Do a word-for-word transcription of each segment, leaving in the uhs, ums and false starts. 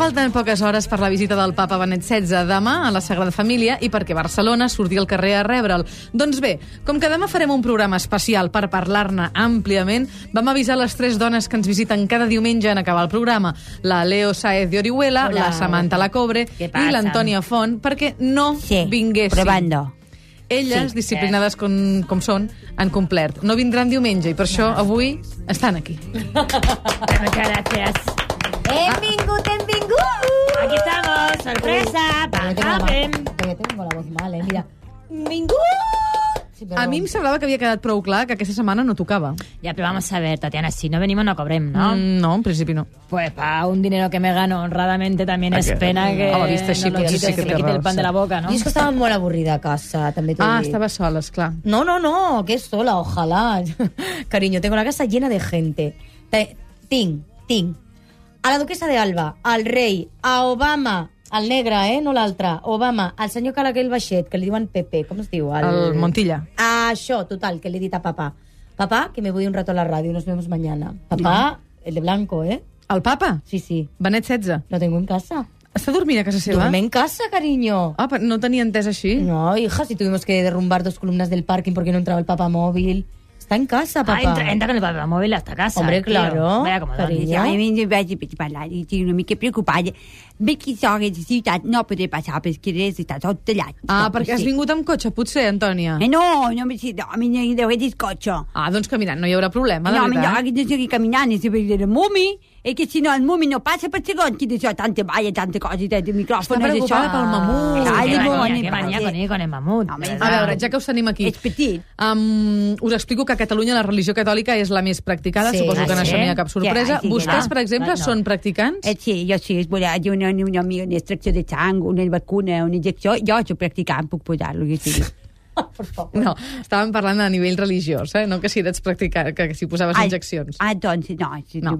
falten poques hores per la visita del papa Benet setze demà a la Sagrada Família i perquè Barcelona surti al carrer a rebre'l. Doncs bé, com que demà farem un programa especial per parlar-ne àmpliament, vam avisar les tres dones que ens visiten cada diumenge en acabar el programa, la Leo Sáez de Orihuela, Hola. la Samantha Lacobre i l'Antònia Font, perquè no sí, vinguessin. Probando. Elles, sí, disciplinades com, com són, han complert. No vindran diumenge i per això avui estan aquí. Muchas gracias. Hem vingut, hem vingut! Aquí estamos, sorpresa, Todavía tengo la voz mal, eh, mira. ¡Vingut! Sí, pero... A mi em semblava que havia quedat prou clar que aquesta setmana no tocava. Ya, pero vamos a ver, Tatiana, si no venimos no cobrem, ¿no? Mm, no, en principi no. Pues para un dinero que me gano honradamente también es pena que A la vista així, no lo potser quites, sí que que me té quite el raó, pan sí. de la boca, ¿no? Jo és que estava molt avorrida a casa, també t'ho Ah, dic. estava sola, esclar. No, no, no, que sola, ojalá. Cariño, tengo la casa llena de gente. Te- Tinc, tinc a la duquesa de Alba, al rei, a Obama, al negre, eh, no l'altre, Obama, al senyor Calaquel Baixet, que li diuen Pepe, com es diu? El Montilla. A això, total, que le he dit a papá. Papá, que me voy un rato a la radio, nos vemos mañana. Papá, el de blanco, ¿eh? El papa? Sí, sí. Benet setze. Lo tengo en casa. Està dormint a casa seva? Duerme en casa, cariño. Ah, però no tenia entès així. No, hija, si tuvimos que derrumbar dos columnas del parking porque no entraba el papamóvil. Está en casa, papá. Ah, entra, entra con el papamóvil hasta casa. Hombre, tío. claro. Vaya como Cariño. A mi vaig parlar i estic una mica preocupada. Veig que això de ciutat no podré passar perquè està tot tallat. Ah, perquè has vingut amb cotxe, potser, Antònia? Eh, no, no me sé, no, a mi no hi deu haver cotxe. Ah, doncs caminant, no hi haurà problema, de No, mi no, veritat. aquí no seguir caminant, i se veure el mumi, i que si no el mumi no passa per segon, que d'això tanta balla, tanta cosa, i de micròfon, Està preocupada pel mamut. Ai, Qué mamut, manía, ni qué manía passa. con, ir con el mamut. Home, de A verdad. veure, ja que us tenim aquí, És petit. um, us explico que a Catalunya la religió catòlica és la més practicada, Sí. suposo que Ah, en sí? això no hi ha cap sorpresa. Sí, sí, Vostès, sí. per exemple, No. són practicants? Eh, sí, jo sí, és volar, jo una, una, una, una extracció de sang, una vacuna, una injecció, jo soc practicant, puc posar-lo, jo sí. Por favor. No, estàvem parlant a nivell religiós, eh? No que si eres practicant, que si posaves injeccions. Ah, doncs, no, sí, No. no.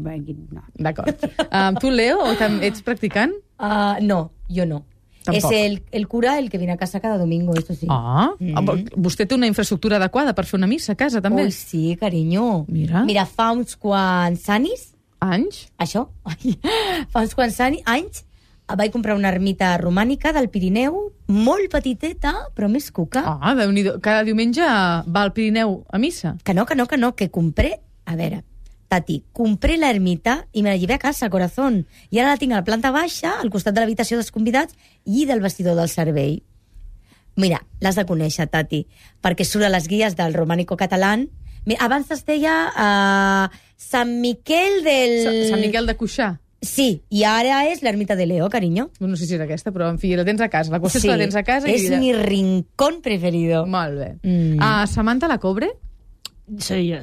no. D'acord. Um, tu, Leo, tam- ets practicant? Ah, no, yo no. Tampoc. Es el, el cura el que viene a casa cada domingo, esto sí. Ah, Mm. vostè té una infraestructura adequada per fer una missa a casa, també? Uy, sí, cariño. Mira. Mira, fa uns quants anys, Anys? això, ai, fa uns quants anys, anys vaig comprar una ermita romànica del Pirineu, molt petiteta, però més cuca. Ah, Déu-n'hi-do. Cada diumenge va al Pirineu a missa. Que no, que no, que no, que compré... A veure, Tati, compré la ermita i me la llevé a casa, corazón. I ara la tinc a la planta baixa, al costat de l'habitació dels convidats i del vestidor del servei. Mira, l'has de conèixer, Tati, perquè surt a les guies del romànico català. Mira, abans es deia uh, Sant Miquel del... Sa- Sant Miquel de Cuixà. Sí, i ara és l'ermita de Leo, cariño. No sé si és aquesta, però en fi, la tens a casa. La qüestió Sí, és que la tens a casa. és i... mi rincón preferido. Molt bé. Mm. Ah, Samantha Lacobre? Soy yo.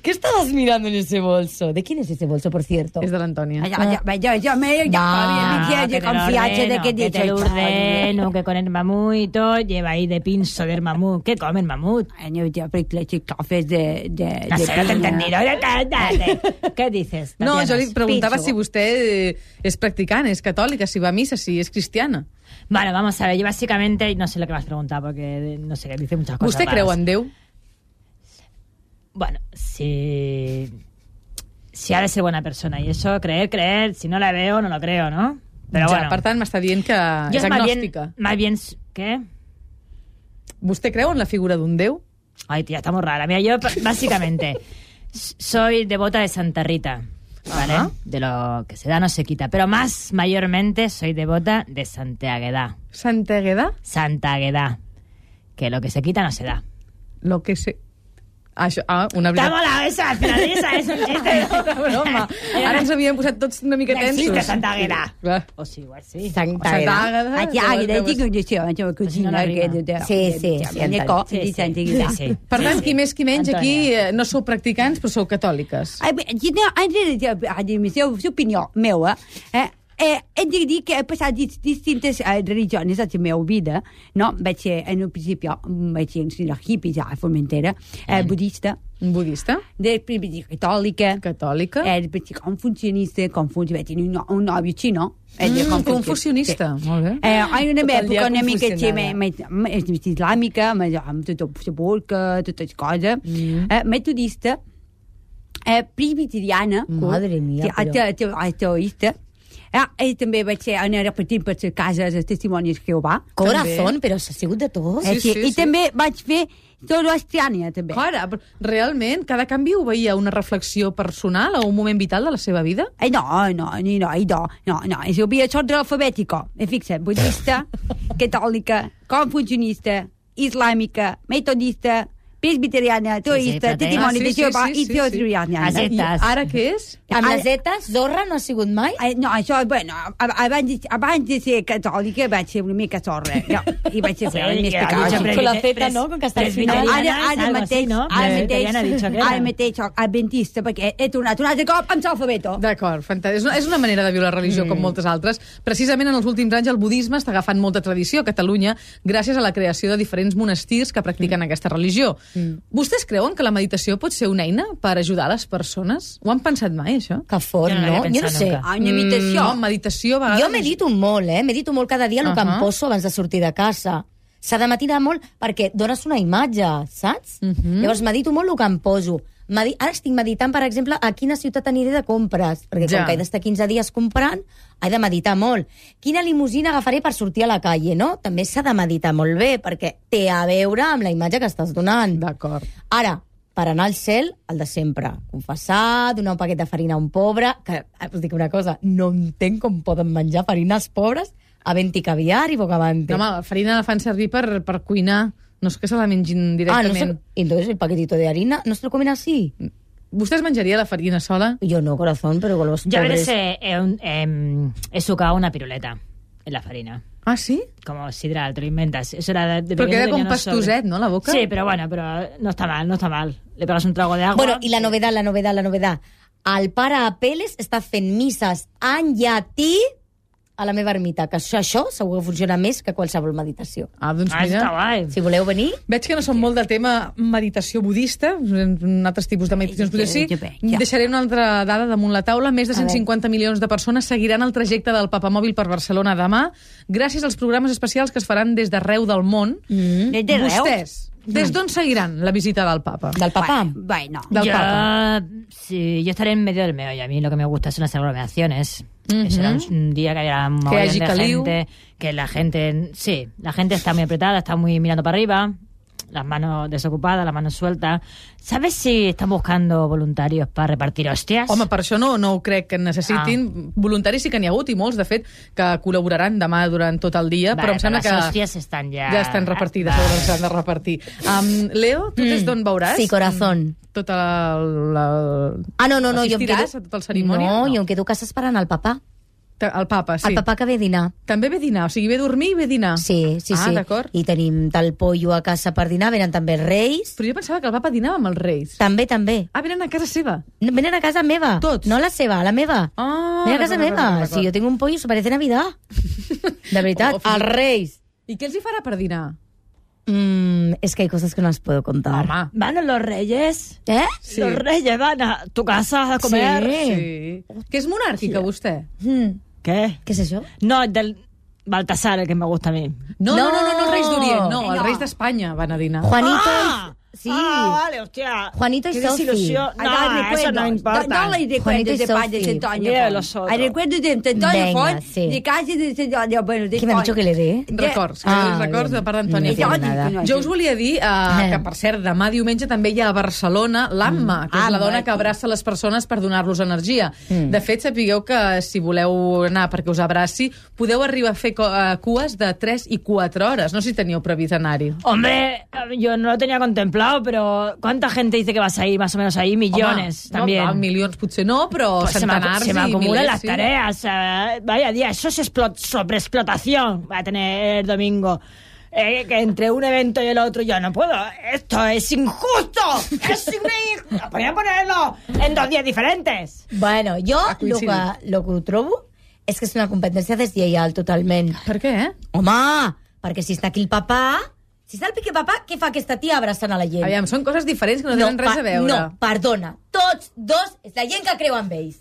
¿Qué estabas mirando en ese bolso? ¿De quién es ese bolso, por cierto? És de l'Antònia. Ja, ja, ja, jo me ja Va, havia que de confiança de que que te lo dicho. ordeno, que con el mamut y todo, lleva ahí de pinzo del mamut. ¿Qué come el mamut? No, jo perquè les xiclofes de... de, No de sé, no te he pinya. entendido. Cállate. ¿Qué dices? No, Tatiana? jo li preguntava Pincho. si vostè eh, és practicant, és catòlica, si va a missa, si és cristiana. Bueno, vamos a ver, yo básicamente no sé lo que me has preguntado porque no sé, dice muchas cosas. Vostè creu raras. en Déu? Bueno, si... Si ha de ser buena persona y eso, creer, creer, si no la veo, no lo creo, ¿no? Pero ja, bueno. per tant, m'està dient que yo és es más bien, agnòstica. más bien... ¿Qué? Vostè creu en la figura d'un Déu? Ay, tía, está muy rara. Mira, yo básicamente soy devota de Santa Rita, ¿vale? Ajá. De lo que se da no se quita. Pero más mayormente soy devota de Santa Agueda. Santa Agueda? Santa Agueda. Que lo que se quita no se da. Lo que sé... Ah, això, ah, una Está veritat. mola esa, al final esa es un chiste. Una broma. Ara ens havíem posat tots una mica No tensos. existe Santa Agueda. Clar. O sí, igual sí. Santa Santa Agueda. Agueda. Ah, ja, llavors- dic una això, això, Si no, cosina, no que... arriba. de- Sí, sí, de- sí, de- Antònia. co- Sí, de sí. Santa Agueda. Sí, sí. Per tant, qui més qui menys Antònia. aquí eh, no sou practicants, però sou catòliques. Ai, bé, no, en realitat, a dir, la seva opinió meva, eh, eh, hem de dir que he passat dis, distintes eh, religions a la meva vida, no? Vaig ser, en un principi, vaig ser una hippie ja a Formentera, eh, budista, Un budista? després vaig ser catòlica, Catòlica? eh, vaig ser confucionista, confuci, vaig tenir un, no, un nòvio xino. eh, de Mm, Confuci- confucionista. Molt bé. Eh, hi ha una Tot el dia època una mica confusionada. més, més, més islàmica, més, amb tota la burca, totes les coses, Mm. eh, metodista, eh, presbiteriana. Madre mia, però... Ateoista. Eh, I també vaig ser anar repetint per les cases dels testimonis de Jehovà. Corazón, però s'ha sigut de tot. Eh, Sí, sí, sí, I sí. també vaig fer Zoroastriana, també. Cara, però realment, cada canvi ho veia una reflexió personal o un moment vital de la seva vida? Eh, no, no, no, no, no, no, no. És havia ordre alfabètico. E fixa't, budista, catòlica, confucionista, islàmica, metodista, presbiteriana, teoista, sí, testimoni ah, sí, de Jehovà sí, sí, i sí, teostriana. sí. I ara què és? Amb Ara- les zetes, Zorra no ha sigut mai? Eh, no, això, bueno, ab- abans, de- abans de ser catòlica vaig ser una mica zorra. No, I vaig ser Sí, sí, més que ha pecada. dicho Con la presbiter- zeta, no? Com que està al final. presbiteriana, Ara, ara algo mateix, así, ¿no? ara Presbiteriana ha dicho mateix, que era. ara mateix soc adventista, perquè he tornat un altre cop amb l'alfabeto. D'acord, fantàstic. És una, és una manera de viure la religió mm. com moltes altres. Precisament en els últims anys el budisme està agafant molta tradició a Catalunya gràcies a la creació de diferents monestirs que practiquen mm. aquesta religió. Mm. Vostès creuen que la meditació pot ser una eina per ajudar les persones? Ho han pensat mai, això? Que fort, Jo no no? l'havia Jo no pensat sé. nunca. Ah, una imitació. No, meditació a vegades... Jo medito molt, eh? Medito molt cada dia el uh -huh. que em poso abans de sortir de casa. S'ha de matinar molt perquè dones una imatge, saps? Uh -huh. Llavors medito molt el que em poso. Medi Ara estic meditant, per exemple, a quina ciutat aniré de compres, perquè Ja. com que he d'estar quinze dies comprant, he de meditar molt. Quina limusina agafaré per sortir a la calle, no? També s'ha de meditar molt bé, perquè té a veure amb la imatge que estàs donant. D'acord. Ara, per anar al cel, el de sempre. Confessar, donar un paquet de farina a un pobre, que, us dic una cosa, no entenc com poden menjar farina els pobres, havent-hi caviar i bocabante. No, home, la farina la fan servir per, per cuinar. No és que se la mengin ah, directament. no sé, entonces el paquetito de harina no se lo comen así. Vostè menjaria la farina sola? Yo no, corazón, pero con los Yo a pobres... veces he, he, he, he sucado una piruleta en la farina. Ah, sí? Como sidral, te lo inventas. Eso era de, de Però pequeño queda tenía com unos pastuset, sobres. no, la boca? Sí, pero bueno, pero no está mal, no está mal. Le pegas un trago de agua. Bueno, i la novedad, la novedad, la novedad. El pare Apeles està fent misses en llatí a la meva ermita, que això, això segur que funciona més que qualsevol meditació. Ah, doncs Ah, mira. está guay. Si voleu venir, Veig que no són molt de tema meditació budista, un altres tipus de meditacions Ja, budistes. Sí, ja, ja, ja. deixaré una altra dada damunt la taula. Més de A cent veure. cinquanta milions de persones seguiran el trajecte del Papamòbil per Barcelona demà, gràcies als programes especials que es faran des d'arreu del món. mm, Des de Reus? Vostès, des d'on seguiran la visita del Papa? del papà. Bueno, Del yo, Papa. sí, yo estaré en medio del meollo. A mí lo que me gusta son las aglomeraciones. Ujú. Será un, un día que haya un mogollón hagi de caliu. gente, que la gente, sí, la gente está muy apretada, está muy mirando para arriba, las manos desocupadas, las manos sueltas. ¿Sabes si están buscando voluntarios para repartir hostias? Home, per això no, no ho crec que necessitin. Voluntaris sí que n'hi ha hagut, i molts, de fet, que col·laboraran demà durant tot el dia, Vale, però em sembla pero las que hostias están ya... ja estan repartides, Vale. segurament s'han de repartir. Um, Leo, tu des d'on veuràs? Sí, corazón. Tota la... la... Ah, no, no, no, jo em quedo... Assistiràs a tota la cerimònia? No, No. jo em quedo a casa esperant el papà. El papa, sí. El papà que ve a dinar. També ve a dinar, o sigui, ve a dormir i ve a dinar. Sí, sí, ah, sí. d'acord. I tenim tal pollo a casa per dinar, venen també els reis. Però jo pensava que el papa dinava amb els reis. També, també. Ah, venen a casa seva. No, venen a casa meva. Tots? No a la seva, a la meva. Ah, Venen a casa d'acord, meva. d'acord, d'acord. Si jo tinc un pollo, se parece Navidad. De veritat, O- o fins i els tot- reis. I què els hi farà per dinar? Mm, es que hay cosas que no las puedo contar. Home. ¿Van los reyes? ¿Eh? Sí. Los reyes van a tu casa a comer. Sí. Sí. Que és monàrquica, vostè? Mm, ¿Qué? ¿Qué es eso? No, del Baltasar, el que me gusta a mí. No, no, no, no, no els reis d'Orient, no, No. els reis d'Espanya van a dinar. Juanito Ah! y... Sí. Ah, vale, hostia. Juanito y Qué Sophie. desilusión. Ay, No, da eso recuerdos. no importa. Da- Dale Juanito recuerdos y de padre de Sophie. Antonio Mira Font. los otros. Ay, recuerdos de Antonio Venga, Font, sí. de casa de Antonio, bueno, de ¿Qué me ha Font. dicho que le dé? Records, Ah, records bien. de part d'Antònia No Font. entiendo nada. Jo us volia dir uh, que, per cert, demà diumenge també hi ha a Barcelona l'Amma, que és la Amma. dona que abraça les persones per donar-los energia. De fet, sapigueu que si voleu anar perquè us abraci, podeu arribar a fer co- eh, cues de tres i quatre hores. No sé si teníeu previst anar-hi. Hombre, yo no lo tenía contemplado, pero ¿cuánta gente dice que vas a ir más o menos ahí? Millones Home, también. No, milions potser no, però Pues se me, centenars acu- se me i acumulan milers, las sí. tareas. eh, vaya día, eso es explot- sobreexplotación. Va a tener el domingo. Eh, que entre un evento y el otro yo no puedo. Esto es injusto. Es injusto. Podría ponerlo en dos días diferentes. Bueno, jo Ha el que, coincidit. lo que ho trobo és que és una competència deslleial totalment. Per què, eh? Home, perquè si està aquí el papà... Si està el pique papà, què fa aquesta tia abraçant a la gent? Aviam, són coses diferents que no tenen res pa- a veure. No, perdona. Tots dos és la gent que creu en ells.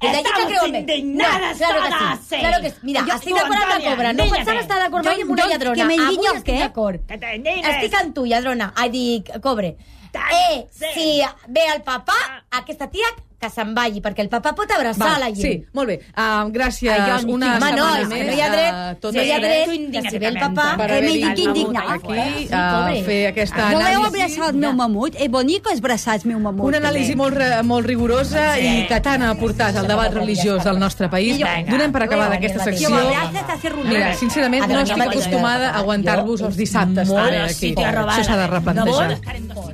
És la gent que Estamos creu en ells. indignadas claro que todas, sí. sí. Claro que sí. Mira, Jo- estic tu, d'acord amb la Antònia, cobra. No indigna't. pensava estar d'acord mai Jo- amb una jo- lladrona. que m'indigno, Avui estic què? d'acord. Que te indignes. Estic amb tu, lladrona. Ai, dic, cobre. Tant, Eh, sí. si ve el papà, aquesta tia que se'n vagi, perquè el papa pot abraçar Va, la gent. sí, molt bé. Uh, gràcies. Ai, jo, una home, no, setmana és que més. no hi ha dret, uh, tot no hi ha el dret, dret que si ve el papà... per Eh, haver me dic vingut indignat. aquí Sí, a pobre. fer aquesta Voleu anàlisi. abraçar el meu mamut? És bonic abraçar el meu mamut? Una anàlisi molt, re- molt rigorosa i que tant ha portat al debat religiós del nostre país. Donem per acabada aquesta Si secció. m'abraces, t'hace runar. Mira, sincerament, no Adéu, estic adéu. acostumada a aguantar-vos els dissabtes. Molt també aquí. sitio a robar. Això s'ha de replantejar. No vol estar en dos